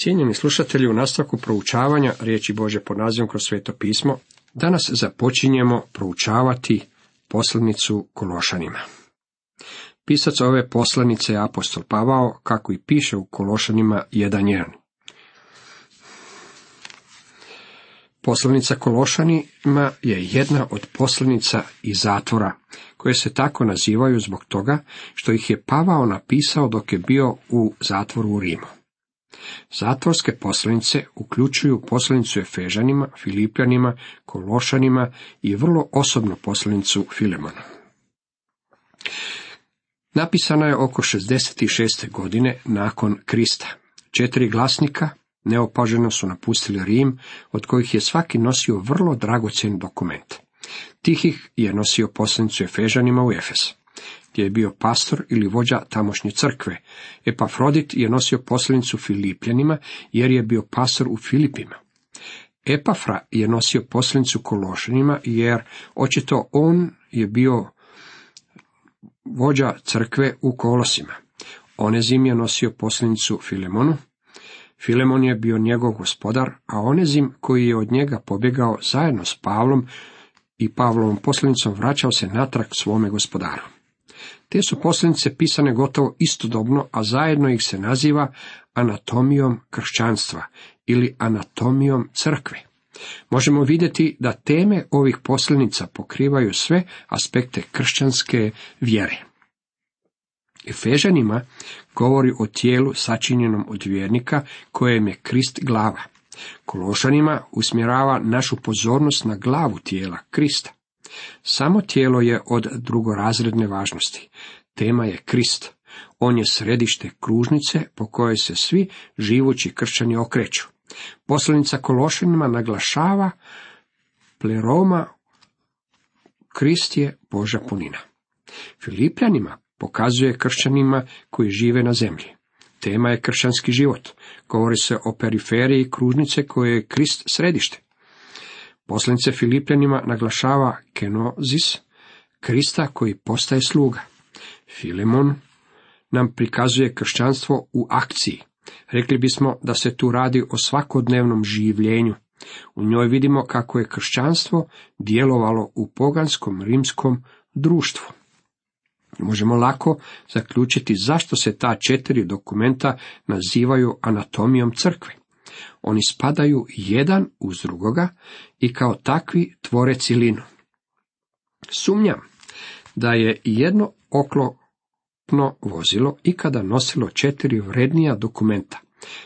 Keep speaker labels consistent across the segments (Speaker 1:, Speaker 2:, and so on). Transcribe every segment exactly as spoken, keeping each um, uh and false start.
Speaker 1: Cijenjeni slušatelji, u nastavku proučavanja riječi Božje pod nazivom kroz Sveto pismo, danas započinjemo proučavati poslanicu Kološanima. Pisac ove poslanice je apostol Pavao, kako i piše u Kološanima jedan jedan. Poslanica Kološanima je jedna od poslanica iz zatvora, koje se tako nazivaju zbog toga što ih je Pavao napisao dok je bio u zatvoru u Rimu. Zatvorske poslanice uključuju poslanicu Efežanima, Filipljanima, Kološanima i vrlo osobnu poslanicu Filemonu. Napisana je oko šezdeset šeste godine nakon Krista. Četiri glasnika neopaženo su napustili Rim, od kojih je svaki nosio vrlo dragocjen dokument. Tihih je nosio poslanicu Efežanima u Efes, gdje je bio pastor ili vođa tamošnje crkve. Epafrodit je nosio poslanicu Filipljanima, jer je bio pastor u Filipima. Epafra je nosio poslanicu Kološanima, jer očito on je bio vođa crkve u Kolosima. Onezim je nosio poslanicu Filemonu. Filemon je bio njegov gospodar, a Onezim, koji je od njega pobjegao zajedno s Pavlom i Pavlovom poslanicom, vraćao se natrag svome gospodaru. Te su poslanice pisane gotovo istodobno, a zajedno ih se naziva anatomijom kršćanstva ili anatomijom crkve. Možemo vidjeti da teme ovih poslanica pokrivaju sve aspekte kršćanske vjere. Efežanima govori o tijelu sačinjenom od vjernika, kojem je Krist glava. Kološanima usmjerava našu pozornost na glavu tijela, Krista. Samo tijelo je od drugorazredne važnosti. Tema je Krist. On je središte kružnice po kojoj se svi živući kršćani okreću. Poslanica Kološanima naglašava pleroma, Krist je Božja punina. Filipljanima pokazuje kršćanima koji žive na zemlji. Tema je kršćanski život. Govori se o periferiji kružnice koje je Krist središte. Poslanice Filipljanima naglašava kenozis, Krista koji postaje sluga. Filemon nam prikazuje kršćanstvo u akciji. Rekli bismo da se tu radi o svakodnevnom življenju. U njoj vidimo kako je kršćanstvo djelovalo u poganskom rimskom društvu. Možemo lako zaključiti zašto se ta četiri dokumenta nazivaju anatomijom crkve. Oni spadaju jedan uz drugoga i kao takvi tvore cjelinu. Sumnjam da je jedno oklopno vozilo ikada nosilo četiri vrednija dokumenta.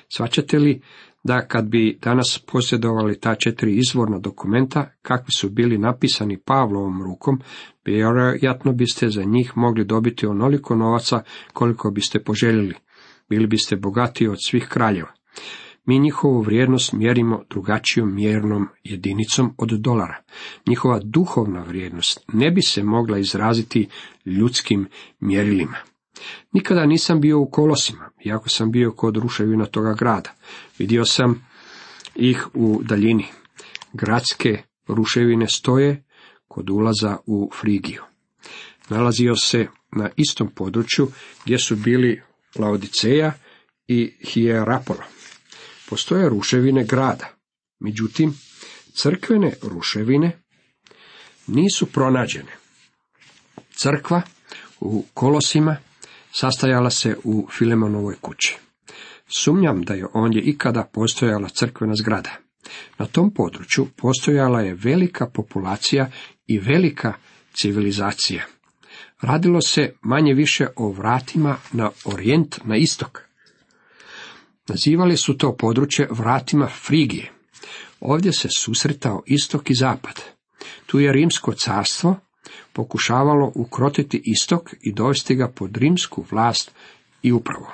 Speaker 1: Shvaćate li da kad bi danas posjedovali ta četiri izvorna dokumenta, kakvi su bili napisani Pavlovom rukom, vjerojatno biste za njih mogli dobiti onoliko novaca koliko biste poželjeli. Bili biste bogatiji od svih kraljeva. Mi njihovu vrijednost mjerimo drugačijom mjernom jedinicom od dolara. Njihova duhovna vrijednost ne bi se mogla izraziti ljudskim mjerilima. Nikada nisam bio u Kolosima, iako sam bio kod ruševina toga grada. Vidio sam ih u daljini. Gradske ruševine stoje kod ulaza u Frigiju. Nalazio se na istom području gdje su bili Laodiceja i Hierapola. Postoje ruševine grada, međutim, crkvene ruševine nisu pronađene. Crkva u Kolosima sastajala se u Filemonovoj kući. Sumnjam da je ondje ikada postojala crkvena zgrada. Na tom području postojala je velika populacija i velika civilizacija. Radilo se manje više o vratima na orijent, na istok. Nazivali su to područje vratima Frigije. Ovdje se susretao istok i zapad. Tu je rimsko carstvo pokušavalo ukrotiti istok i dovesti ga pod rimsku vlast i upravu.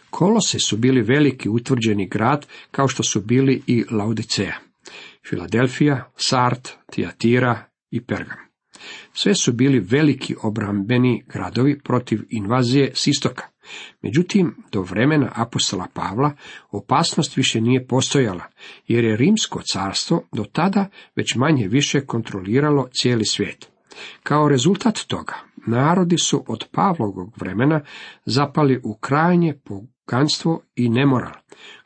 Speaker 1: Kolose su bili veliki utvrđeni grad, kao što su bili i Laodiceja, Filadelfija, Sart, Tijatira i Pergam. Sve su bili veliki obrambeni gradovi protiv invazije s istoka. Međutim, do vremena apostola Pavla opasnost više nije postojala, jer je rimsko carstvo do tada već manje više kontroliralo cijeli svijet. Kao rezultat toga, narodi su od Pavlovog vremena zapali u krajnje poganstvo i nemoral.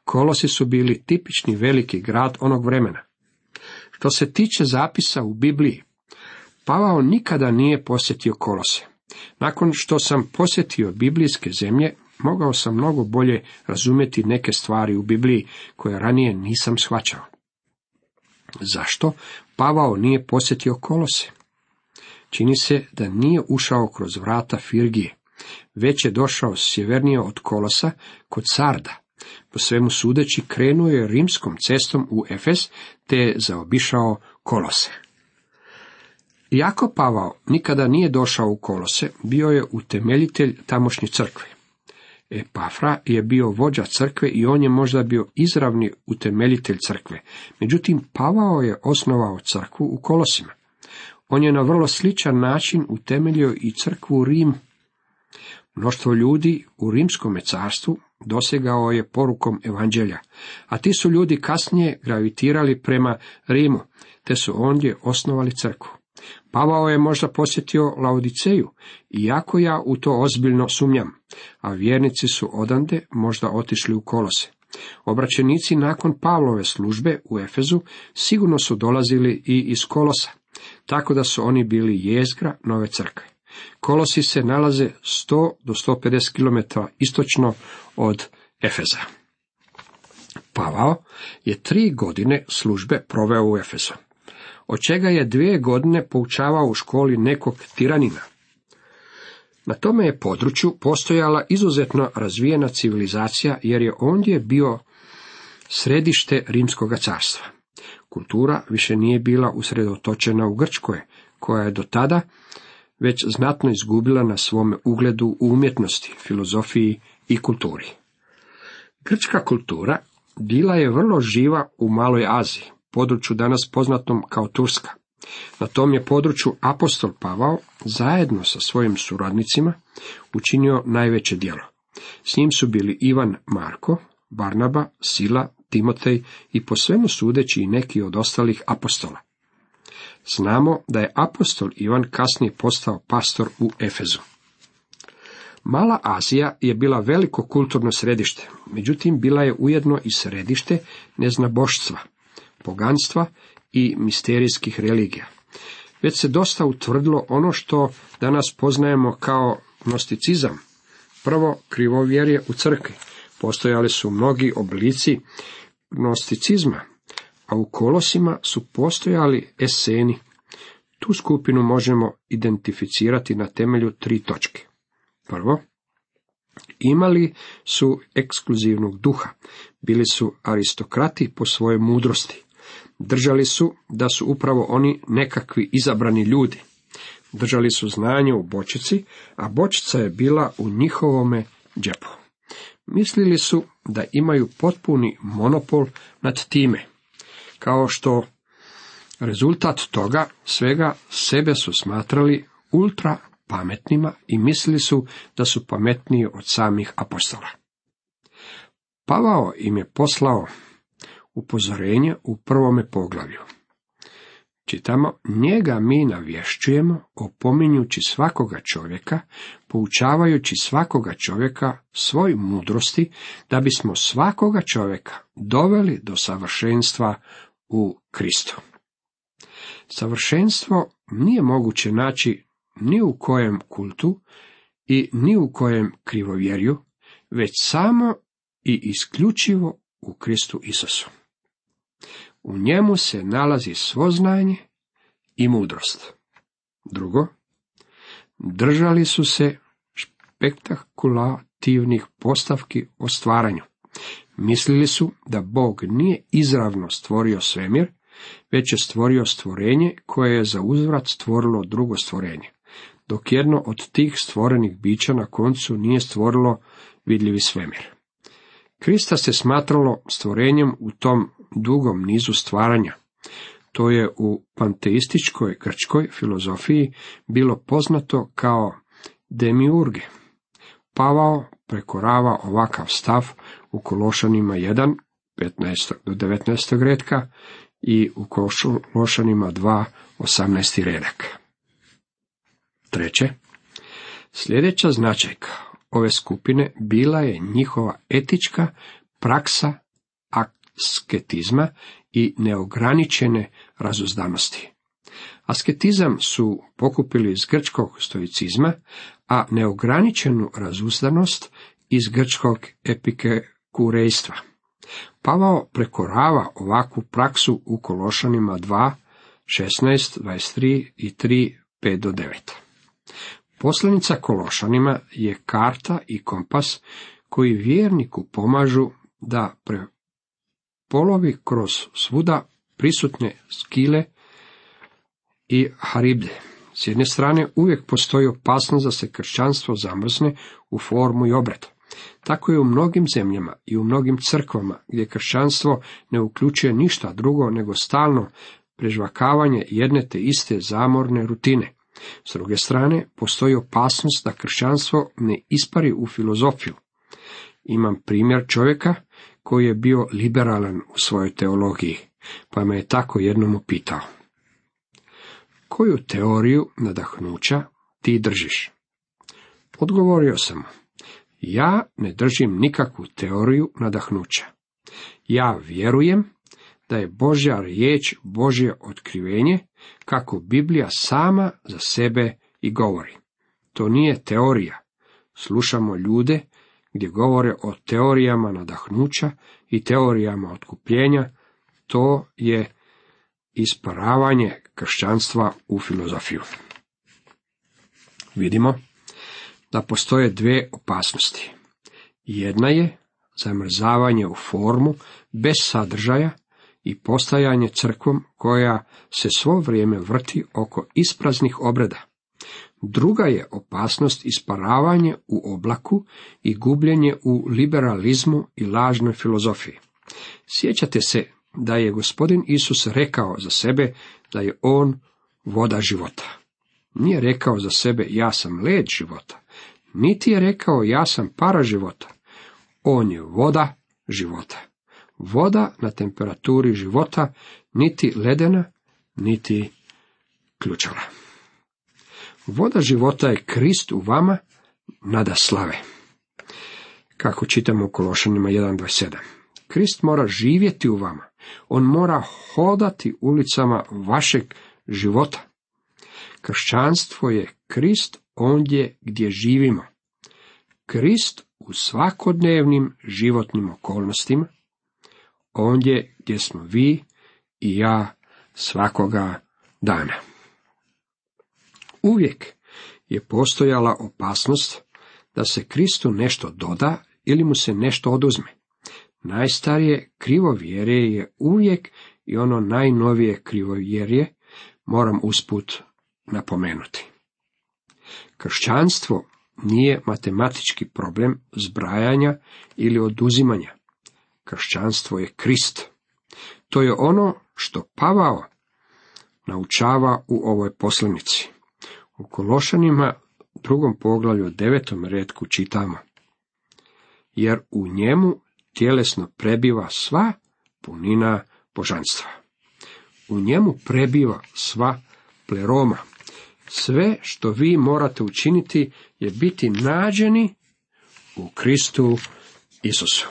Speaker 1: Kolosi su bili tipični veliki grad onog vremena. Što se tiče zapisa u Bibliji, Pavao nikada nije posjetio Kolose. Nakon što sam posjetio biblijske zemlje, mogao sam mnogo bolje razumjeti neke stvari u Bibliji koje ranije nisam shvaćao. Zašto Pavao nije posjetio Kolose? Čini se da nije ušao kroz vrata Firgije, već je došao sjevernije od Kolosa kod Sarda. Po svemu sudeći krenuo je rimskom cestom u Efes, te je zaobišao Kolose. Iako Pavao nikada nije došao u Kolose, bio je utemeljitelj tamošnje crkve. Epafra je bio vođa crkve i on je možda bio izravni utemeljitelj crkve. Međutim, Pavao je osnovao crkvu u Kolosima. On je na vrlo sličan način utemeljio i crkvu u Rimu. Mnoštvo ljudi u rimskom carstvu dosegao je porukom evanđelja, a ti su ljudi kasnije gravitirali prema Rimu, te su ondje osnovali crkvu. Pavao je možda posjetio Laodiceju, iako ja u to ozbiljno sumnjam, a vjernici su odande možda otišli u Kolose. Obraćenici nakon Pavlove službe u Efezu sigurno su dolazili i iz Kolosa, tako da su oni bili jezgra nove crkve. Kolosi se nalaze sto do sto pedeset kilometara istočno od Efeza. Pavao je tri godine službe proveo u Efezu, od čega je dvije godine poučavao u školi nekog tiranina. Na tome je području postojala izuzetno razvijena civilizacija, jer je ondje bio središte Rimskoga carstva. Kultura više nije bila usredotočena u Grčkoj, koja je do tada već znatno izgubila na svome ugledu u umjetnosti, filozofiji i kulturi. Grčka kultura bila je vrlo živa u Maloj Aziji, području danas poznatom kao Turska. Na tom je području apostol Pavao zajedno sa svojim suradnicima učinio najveće djelo. S njim su bili Ivan Marko, Barnaba, Sila, Timotej i po svemu sudeći i neki od ostalih apostola. Znamo da je apostol Ivan kasnije postao pastor u Efezu. Mala Azija je bila veliko kulturno središte, međutim bila je ujedno i središte neznaboštva, poganstva i misterijskih religija. Već se dosta utvrdilo ono što danas poznajemo kao gnosticizam. Prvo, krivovjerje u crkvi. Postojali su mnogi oblici gnosticizma, a u Kolosima su postojali eseni. Tu skupinu možemo identificirati na temelju tri točke. Prvo, imali su ekskluzivnog duha, bili su aristokrati po svojoj mudrosti. Držali su da su upravo oni nekakvi izabrani ljudi. Držali su znanje u bočici, a bočica je bila u njihovome džepu. Mislili su da imaju potpuni monopol nad time. Kao što rezultat toga svega sebe su smatrali ultra pametnima i mislili su da su pametniji od samih apostola. Pavao im je poslao upozorenje u prvome poglavlju. Čitamo, njega mi navješćujemo, opominjući svakoga čovjeka, poučavajući svakoga čovjeka svoj mudrosti, da bismo svakoga čovjeka doveli do savršenstva u Kristu. Savršenstvo nije moguće naći ni u kojem kultu i ni u kojem krivovjerju, već samo i isključivo u Kristu Isusu. U njemu se nalazi svo znanje i mudrost. Drugo, držali su se spektakulativnih postavki o stvaranju. Mislili su da Bog nije izravno stvorio svemir, već je stvorio stvorenje koje je za uzvrat stvorilo drugo stvorenje, dok jedno od tih stvorenih bića na koncu nije stvorilo vidljivi svemir. Krista se smatralo stvorenjem u tom dugom nizu stvaranja. To je u panteističkoj grčkoj filozofiji bilo poznato kao demiurge. Pavao prekorava ovakav stav u Kološanima jedan, petnaest do devetnaest redka i u Kološanima dva, osamnaest redak. Treće, sljedeća značajka ove skupine bila je njihova etička praksa asketizma i neograničene razuzdanosti. Asketizam su pokupili iz grčkog stoicizma, a neograničenu razuzdanost iz grčkog epikurejstva. Pavao prekorava ovakvu praksu u Kološanima dva, šesnaest, dvadeset tri i tri, pet do devet. Poslanica Kološanima je karta i kompas koji vjerniku pomažu da prepolovi kroz svuda prisutne skile i haribde. S jedne strane uvijek postoji opasnost da se kršćanstvo zamrzne u formu i obred. Tako je u mnogim zemljama i u mnogim crkvama gdje kršćanstvo ne uključuje ništa drugo nego stalno prežvakavanje jedne te iste zamorne rutine. S druge strane, postoji opasnost da kršćanstvo ne ispari u filozofiju. Imam primjer čovjeka koji je bio liberalan u svojoj teologiji, pa me je tako jednom upitao: koju teoriju nadahnuća ti držiš? Odgovorio sam mu: ja ne držim nikakvu teoriju nadahnuća. Ja vjerujem da je Božja riječ Božje otkrivenje, kako Biblija sama za sebe i govori. To nije teorija. Slušamo ljude gdje govore o teorijama nadahnuća i teorijama otkupljenja. To je isparavanje kršćanstva u filozofiju. Vidimo da postoje dvije opasnosti. Jedna je zamrzavanje u formu bez sadržaja i postajanje crkvom koja se svo vrijeme vrti oko ispraznih obreda. Druga je opasnost isparavanje u oblaku i gubljenje u liberalizmu i lažnoj filozofiji. Sjećate se da je Gospodin Isus rekao za sebe da je on voda života. Nije rekao za sebe ja sam led života, niti je rekao ja sam para života. On je voda života. Voda na temperaturi života, niti ledena, niti ključala. Voda života je Krist u vama nada slave. Kako čitamo u Kološanima jedan dvadeset sedam. Krist mora živjeti u vama. On mora hodati ulicama vašeg života. Kršćanstvo je Krist ondje gdje živimo. Krist u svakodnevnim životnim okolnostima, ondje gdje smo vi i ja svakoga dana. Uvijek je postojala opasnost da se Kristu nešto doda ili mu se nešto oduzme. Najstarije krivovjerje je uvijek i ono najnovije krivovjerje, moram usput napomenuti. Kršćanstvo nije matematički problem zbrajanja ili oduzimanja. Kršćanstvo je Krist. To je ono što Pavao naučava u ovoj poslanici. U Kološanima drugom poglavlju devetom retku čitamo: jer u njemu tjelesno prebiva sva punina božanstva. U njemu prebiva sva pleroma. Sve što vi morate učiniti je biti nađeni u Kristu Isusu.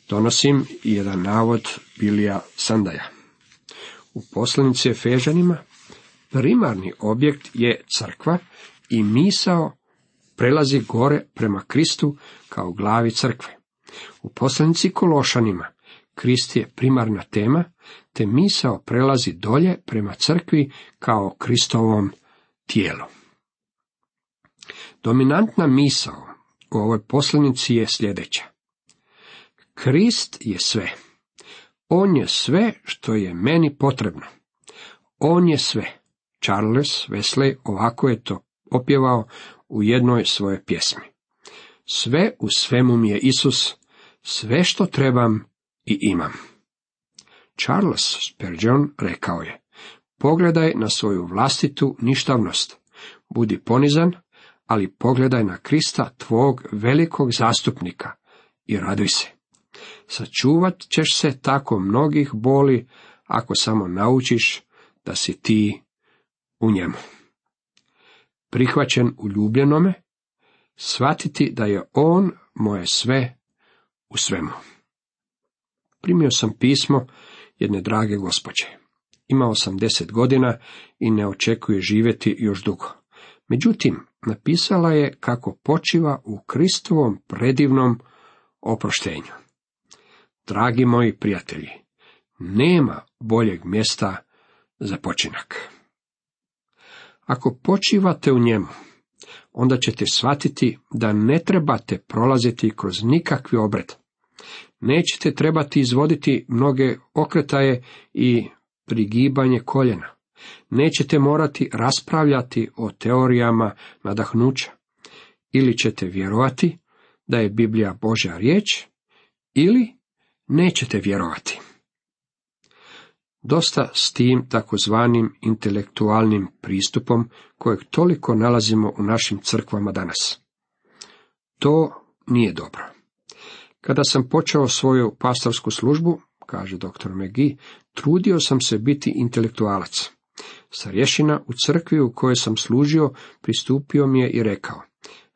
Speaker 1: Donosim jedan navod Bilija Sandaja. U poslanici Efežanima primarni objekt je crkva i misao prelazi gore prema Kristu kao glavi crkve. U poslanici Kološanima Krist je primarna tema, te misao prelazi dolje prema crkvi kao Kristovom tijelu. Dominantna misao u ovoj poslanici je sljedeća: Krist je sve. On je sve što je meni potrebno. On je sve. Charles Wesley ovako je to opjevao u jednoj svojoj pjesmi. Sve u svemu mi je Isus, sve što trebam i imam. Charles Spurgeon rekao je: pogledaj na svoju vlastitu ništavnost, budi ponizan, ali pogledaj na Krista, tvog velikog zastupnika, i raduj se. Sačuvat ćeš se tako mnogih boli, ako samo naučiš da si ti u njemu. Prihvaćen u ljubljenome, shvatiti da je on moje sve u svemu. Primio sam pismo jedne drage gospođe. Imao sam deset godina i ne očekuje živjeti još dugo. Međutim, napisala je kako počiva u Kristovom predivnom oproštenju. Dragi moji prijatelji, nema boljeg mjesta za počinak. Ako počivate u njemu, onda ćete shvatiti da ne trebate prolaziti kroz nikakvi obred. Nećete trebati izvoditi mnoge okretaje i prigibanje koljena. Nećete morati raspravljati o teorijama nadahnuća. Ili ćete vjerovati da je Biblija Božja riječ, ili nećete vjerovati. Dosta s tim takozvanim intelektualnim pristupom kojeg toliko nalazimo u našim crkvama danas. To nije dobro. Kada sam počeo svoju pastorsku službu, kaže doktor McGee, trudio sam se biti intelektualac. Starješina u crkvi u kojoj sam služio pristupio mi je i rekao: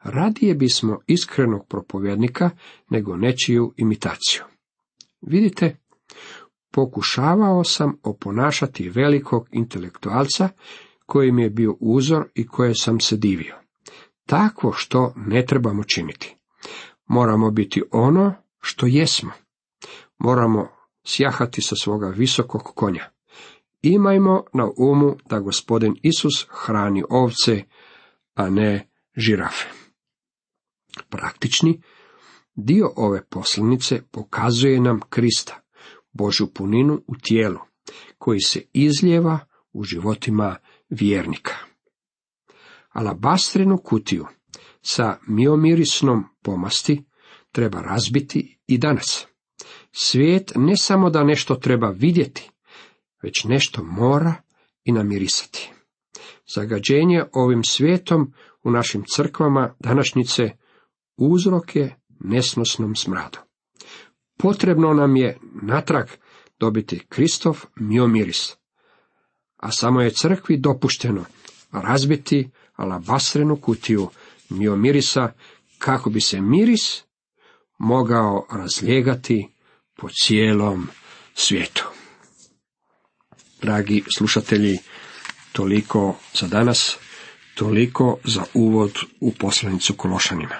Speaker 1: radije bismo iskrenog propovjednika nego nečiju imitaciju. Vidite, pokušavao sam oponašati velikog intelektualca koji mi je bio uzor i koje sam se divio. Takvo što ne trebamo činiti. Moramo biti ono što jesmo. Moramo sjahati sa svoga visokog konja. Imajmo na umu da Gospodin Isus hrani ovce, a ne žirafe. Praktični dio ove poslanice pokazuje nam Krista, Božju puninu u tijelu, koji se izlijeva u životima vjernika. Alabastrenu kutiju sa miomirisnom pomasti treba razbiti i danas. Svijet ne samo da nešto treba vidjeti, već nešto mora i namirisati. Zagađenje ovim svijetom u našim crkvama današnjice uzrok je nesnosnom smradu. Potrebno nam je natrag dobiti Kristov miomiris, a samo je crkvi dopušteno razbiti alabastrenu kutiju miomirisa kako bi se miris mogao razlijegati po cijelom svijetu. Dragi slušatelji, toliko za danas, toliko za uvod u poslanicu Kološanima.